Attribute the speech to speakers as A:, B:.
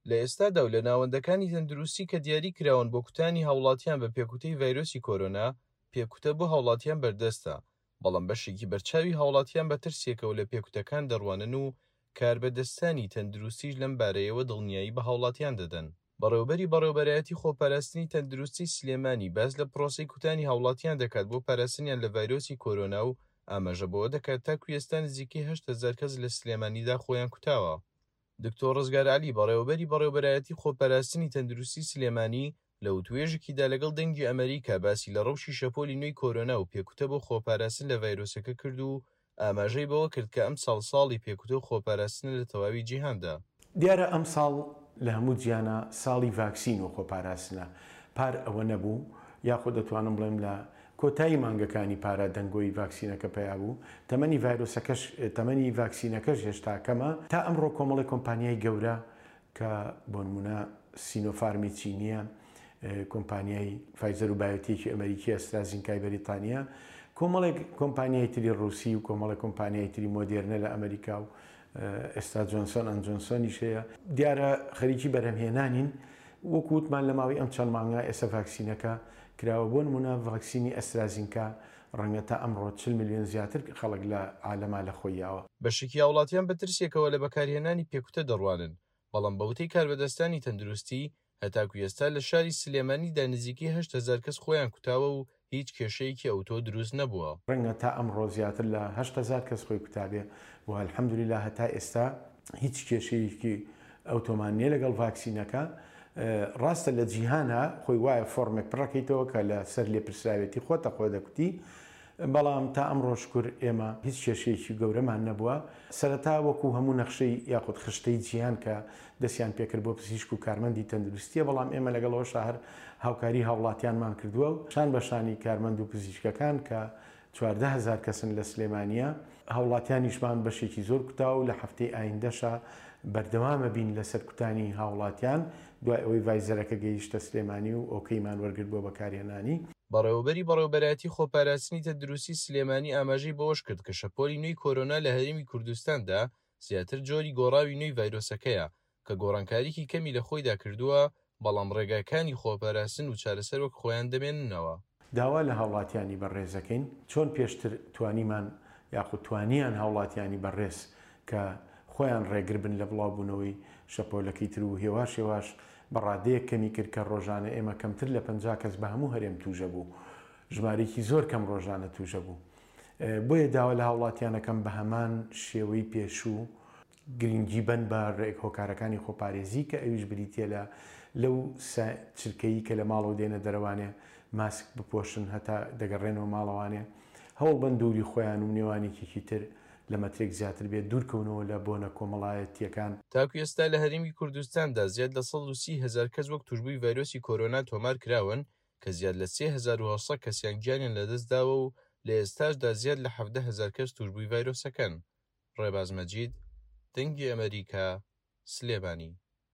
A: لە ئێستادا و لە ناوەندەکانی تەندروستی کە دیاری کراون بۆ کوتانی هاوڵاتیان بە پێکوتەی ڤایرۆسی کۆرۆنا، پێکوتە بۆ هاوڵاتیان بەردەستە، بەڵام بەشێکی بەرچاوی هاوڵاتیان بە ترسێکەوە لە پێکوتەکان دەڕوانن و کاربەدەستانی تەندروستیش لەم بارەیەوە دڵنیایی بە هاوڵاتیان دەدەن. بەڕێوەبەری بەڕێوەبەرایەتی خۆپاراستنی تەندروستی سلێمانی باس لە پرۆسەی کوتانی هاوڵاتیان دەکات بۆ پاراستنیان لە ڤایرۆسی کۆرۆنا و ئاماژە بەوە دەکات تاکو ئێستا نزیکەی 8000 کەس لە سلێمانیدا خۆیان کوتاوە. دکتۆر ڕزگار عەلی بەڕێوەبەری بەڕێوەبەرایەتی خۆپاراستنی تەندروستی سلێمانی لە وتوێژێکیدا لەگەڵ دەنگی ئەمەریکا باسی لە ڕەوشی شەپۆلی نوێی کۆرۆنا و پێکوتە بۆ خۆپاراستن لە ڤایرۆسەکە کرد و ئاماژەی بەوە کرد کە ئەمساڵ ساڵی پێکوتە و خۆپاراستنە لە تەواوی جیهاندا.
B: دیارە ئەمساڵ لە هەموو جیانا ساڵی ڤاکسین و خۆپاراستنە، پار ئەوە نەبوو، یاخود دەتوانم بڵێم لە کۆتایی مانگەکانی پارا دەنگۆی ڤاکسینەکە پەیا بوو، تەمەنی ڤایرۆسەکەش تەمەنی ڤاکسینەکەش هێشتا کەمە، تا ئەمڕۆ کۆمەڵێک کۆمپانیای گەورە کە بۆنمونە سینۆفارمی چینیە، کۆمپانیای فایزەر و بایۆتێکی ئەمریکی، ئەسترازینکای بەریتانیا، کۆمەڵێک کۆمپانیای تری ڕوسی و کۆمەڵێک کۆمپانیای تری مۆدێرنە لە ئەمریکا و ئێستا جۆنسۆن ئەند جۆنسۆنیش هەیە، دیارە خەریکی بەرهەمهێنانین، وەکو وتمان لە ماوەی ئەم چەند مانگە ئێستا ڤاکسینەکە کراوە، بۆ نمونە ڤاکسینی ئەسترازینکا ڕەنگە تا ئەمڕۆ 40 ملیۆن زیاتر خەڵک لە عالەما لە خۆی یاوە.
A: بەشێکی هاوڵاتیان بە ترسێکەوە لە بەکارهێنانی پێکوتە دەڕوانن، بەڵام بە وتەی کاربەدەستانی تەندروستی، هەتاکو ئێستا لە شاری سلێمانیدا نزیکەی 8000 کەس خۆیان کوتاوە و هیچ کێشەیەکی ئەوتۆ دروست نەبووە.
B: ڕەنگە تا ئەمڕۆ زیاتر لە 8000 کەس خۆی کوتابێ و الحمدللە هەتا ئێستا هیچ کێشەیەکی ئەوتۆمان نییە لەگەڵ ڤاکسینەکە. ڕاستە لە جیهانا خۆی وایە فۆرمێک پڕەکەیتەوە کە لە سەر لێپرسراوێتی خۆتە خۆ دەکوتی، بەڵام تا ئەمڕۆ شکور ئێمە هیچ کێشەیەکی گەورەمان نەبووە. سەرەتا وەکو هەموو نەخشەی یاخود خشتەی جیهان کە دەستیان پێکرد بۆ پزیشک و کارمەندی تەندروستیە، بەڵام ئێمە لەگەڵ ئەوەشا هەر هاوکاری هاوڵاتیانمان کردووە و شان بە شانی کارمەند و پزیشکەکان کە 14,000 کەسن لە سلێمانیە، هاوڵاتیانیشمان بەشێکی زۆر کوتاوە و لە هەفتەی ئایندەشا بەردەوامە بین لەسەر کوتانی هاوڵاتیان دوای ئەوەی ڤایزەرەکە گەیشتە سلێمانی و ئۆکەیمان وەرگرت بۆ بەکارهێنانی.
A: بەڕێوەبەری بەڕێوەبەرایەتی خۆپاراستنی تەندروستی سلێمانی ئاماژەی بەوەشکرد کە شەپۆلی نوێی کۆرۆنا لە هەرێمی کوردستاندا زیاتر جۆری گۆڕاوی نوێی ڤایرۆسەکەیە کە گۆڕانکاریی کەمی لە خۆیدا کردووە، بەڵام ڕێگاکانی خۆپاراستن و چارەسەر وەک خۆیان دەمێننەوە.
B: داوا لە هاوڵاتیانی بەڕێزەکەین چۆن پێشتر توانیمان یاخود توانیان هاوڵاتیانی بەڕێز کە خۆیان ڕێگر بن لە بڵاوبوونەوەی شەپۆلەکەی تر و هێواش هێواش بە ڕادەیەک کەمی کرد کە ڕۆژانە ئێمە کەمتر لە 50 کەس بە هەموو هەرێم تووژە بوو، ژمارەیەکی زۆر کەم ڕۆژانە تووژە بوو. بۆیە داوا لە هاوڵاتیانەکەم بە هەمان شێوەی پێشوو گرنگی بەن بە ڕێک هۆکارەکانی خۆپارێزی کە ئەویش بریتیە لە لەو چرکەیی کە لە ماڵەوە دێنە دەرەوانێ ماسک بپۆشن هەتا دەگەڕێنەوە ماڵەوانێ هەوڵ بەن دووری خۆیان و نێوانێکێکی تر لە مەترێک زیاتر بێت دوورکەونەوە لە بۆنە کۆمەڵایەتیەکان.
A: تاکو ئێستا لە هەرێمی کوردستاندا زیاد لە 130,000 کەس وەک تووشبووی ڤایرۆسی کۆرۆنا تۆمار کراون کە زیاد لە 3800 کەسیان گیانیان لەدەستداوە و لە ئێستاشدا زیاد لە 17,000 کەس تووشبووی ڤایرۆسەکەن. ڕێباز مەجید، دەنگی ئەمەریکا، سلێمانی.